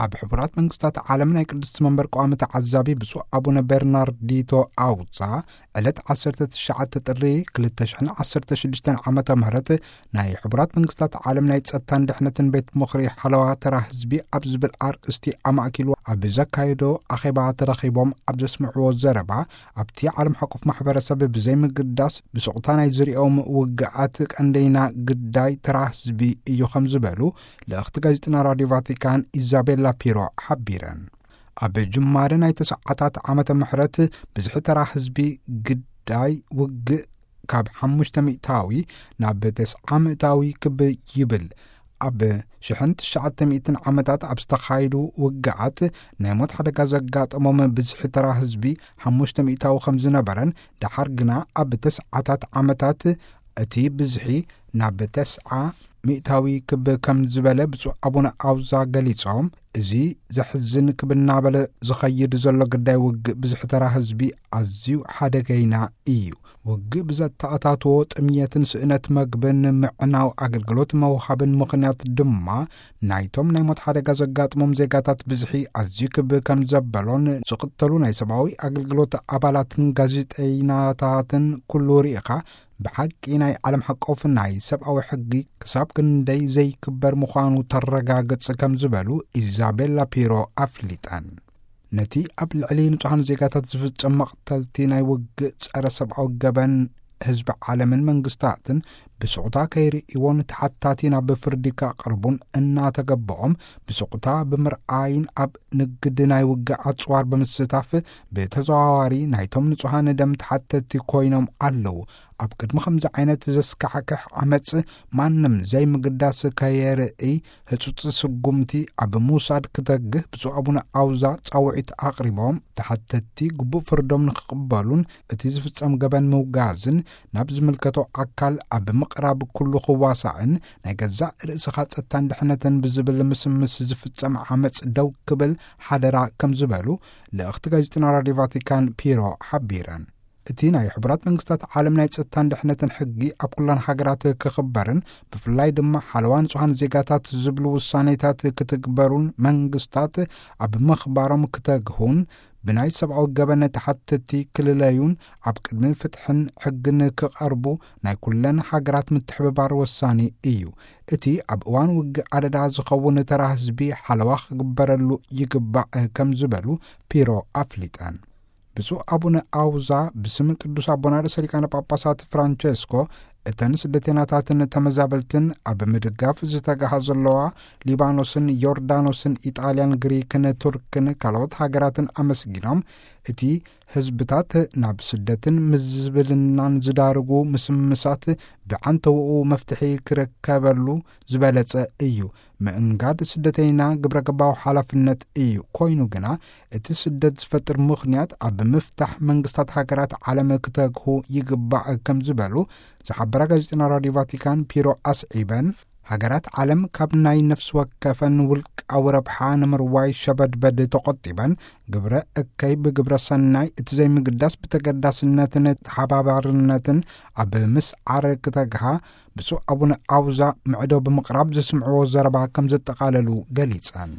ኣብ ሕቡራት መንግስታት ዓለም ናይ ቅድስቲ መንበር ቀዋሚ ተዓዛቢ ብፁዕ ኣቡነ ቤርናርዲቶ ኣውጻ ዕለት ዓሰርተ ትሽዓተ ጥሪ ክልተ ሽሕን ዓሰርተ ሽዱሽተን ዓመተ ምህረት ናይ ሕቡራት መንግስታት ዓለም ናይ ጸጥታን ድሕነትን ቤት ምኽሪ ሓለዋ ተራ ህዝቢ ኣብ ዝብል ኣርእስቲ ኣማእኪሉ ኣብ ዘካየዶ ኣኼባ ተረኺቦም ኣብ ዘስምዕዎ ዘረባ፣ ኣብቲ ዓለም ሓቆፍ ማሕበረሰብ ብዘይምግዳስ ብስቕታ ናይ ዝሪኦም ውግኣት ቀንደይና ግዳይ ተራ ህዝቢ እዩ ከም ዝበሉ ልእኽቲ ጋዜጠና ራድዮ ቫቲካን ኢዛቤላ ፒሮ ሓቢረን። ኣብ ጅማረ ናይ ተስዓታት ዓመተ ምሕረት ብዝሒ ተራ ህዝቢ ግዳይ ውግእ ካብ ሓሙሽተ ሚእታዊ ናብ ተስዓ ሚእታዊ ክብ ይብል። ኣብ ሽሕን ትሽዓተ ሚእትን ዓመታት ኣብ ዝተኻየዱ ውግኣት ናይ ሞት ሓደጋ ዘጋጠሞም ብዝሒ ተራ ህዝቢ ሓሙሽተ ሚእታዊ ከም ዝነበረን፣ ደሓር ግና ኣብ ተስዓታት ዓመታት እቲ ብዝሒ ናብ ተስዓ ሚእታዊ ክብ ከም ዝበለ ብፁዕ ኣቡነ ኣውዛ ገሊጾም፣ እዚ ዘሕዝን ክብ እናበለ ዝኸይድ ዘሎ ግዳይ ውግእ ብዝሒ ተራ ህዝቢ ኣዝዩ ሓደገይና እዩ። ውግእ ብዘተኣታትዎ ጥምየትን ስእነት መግብን ምዕናው ኣገልግሎት መውሃብን ምኽንያት ድማ ናይቶም ናይ ሞት ሓደጋ ዘጋጥሞም ዜጋታት ብዝሒ ኣዝዩ ክብ ከም ዘበሎን ዝቕተሉ ናይ ሰብኣዊ ኣገልግሎት ኣባላትን ጋዜጠይናታትን ኩሉ ርኢኻ ብሓቂ ናይ ዓለም ሓቆፍ ናይ ሰብኣዊ ሕጊ ክሳብ ክንደይ ዘይክበር ምዃኑ ተረጋግጽ ከም ዝበሉ ኢዛቤላ ፒሮ ኣፍሊጠን። ነቲ ኣብ ልዕሊ ንጹሃን ዜጋታት ዝፍጸም መቕተልቲ ናይ ውግእ ጸረ ሰብኣዊ ገበን ህዝቢ ዓለምን መንግስታትን ብስቑታ ከይርእይዎ ንተሓታቲ ናብ ፍርዲ ከቕርቡን እናተገበኦም ብስቑታ ብምርኣይን ኣብ ንግድ ናይ ውግእ ኣጽዋር ብምስታፍ ብተዘዋዋሪ ናይቶም ንጹሃን ደም ተሓተቲ ኮይኖም ኣለዉ። ኣብ ቅድሚ ከምዚ ዓይነት ዘስካሕክሕ ዓመጽ ማንም ዘይምግዳስ ከየርእይ ህጹጽ ስጉምቲ ኣብ ምውሳድ ክተግህ ብፁዕ ኣቡነ ኣውዛ ጻውዒት ኣቕሪቦም፣ ተሓተቲ ግቡእ ፍርዶም ንክቕበሉን እቲ ዝፍጸም ገበን ምውጋዝን ናብ ዝምልከቶ ኣካል ኣብ ምቕራብ ኩሉ ክዋሳእን ናይ ገዛእ ርእስኻ ጸጥታን ድሕነትን ብዝብል ምስምስ ዝፍጸም ዓመጽ ደው ክብል ሓደራ ከም ዝበሉ ልእኽቲ ጋዜጠና ራድዮ ቫቲካን ፒሮ ሓቢረን። እቲ ናይ ሕቡራት መንግስታት ዓለም ናይ ጸጥታን ድሕነትን ሕጊ ኣብ ኩለን ሃገራት ክኽበርን ብፍላይ ድማ ሓለዋ ንጹሃን ዜጋታት ዝብሉ ውሳኔታት ክትግበሩን መንግስታት ኣብ ምኽባሮም ክተግሁን ብናይ ሰብኣዊ ገበን ተሓተቲ ክልለዩን ኣብ ቅድሚ ፍትሕን ሕግን ክቐርቡ ናይ ኩለን ሃገራት ምትሕብባር ወሳኒ እዩ። እቲ ኣብ እዋን ውግእ ኣደዳ ዝኸውን ተራ ህዝቢ ሓለዋ ክግበረሉ ይግባእ ከም ዝበሉ ፒሮ ኣፍሊጠን። ብፁዕ ኣቡነ ኣውዛ ብስም ቅዱስ ኣቦና ርእሰ ሊቃነ ጳጳሳት ፍራንቸስኮ እተን ስደተኛታትን ተመዛበልትን ኣብ ምድጋፍ ዝተጋሃ ዘለዋ ሊባኖስን ዮርዳኖስን ኢጣልያን ግሪክን ቱርክን ካልኦት ሃገራትን ኣመስጊኖም፣ እቲ ህዝብታት ናብ ስደትን ምዝብልናን ዝዳርጉ ምስምሳት ብዓንተውኡ መፍትሒ ክርከበሉ ዝበለጸ እዩ። ምእንጋድ ስደተይና ግብረ ገባዊ ሓላፍነት እዩ። ኮይኑ ግና እቲ ስደት ዝፈጥር ምኽንያት ኣብ ምፍታሕ መንግስታት ሃገራት ዓለም ክተግሁ ይግባእ ከም ዝበሉ ዝሓበራ ጋዜጠና ራድዮ ቫቲካን ፒሮ ኣስዒበን፣ ሃገራት ዓለም ካብ ናይ ነፍሲ ወከፈን ውልቃዊ ረብሓ ንምርዋይ ሸበድበድ ተቖጢበን ግብረ እከይ ብግብረ ሰናይ እቲ ዘይምግዳስ ብተገዳስነትን ተሓባባርነትን ኣብ ምስዓር ክተግሃ ብፁዕ ኣቡነ ኣውዛ ምዕዶ ብምቕራብ ዘስምዕዎ ዘረባ ከም ዘጠቓለሉ ገሊጸን።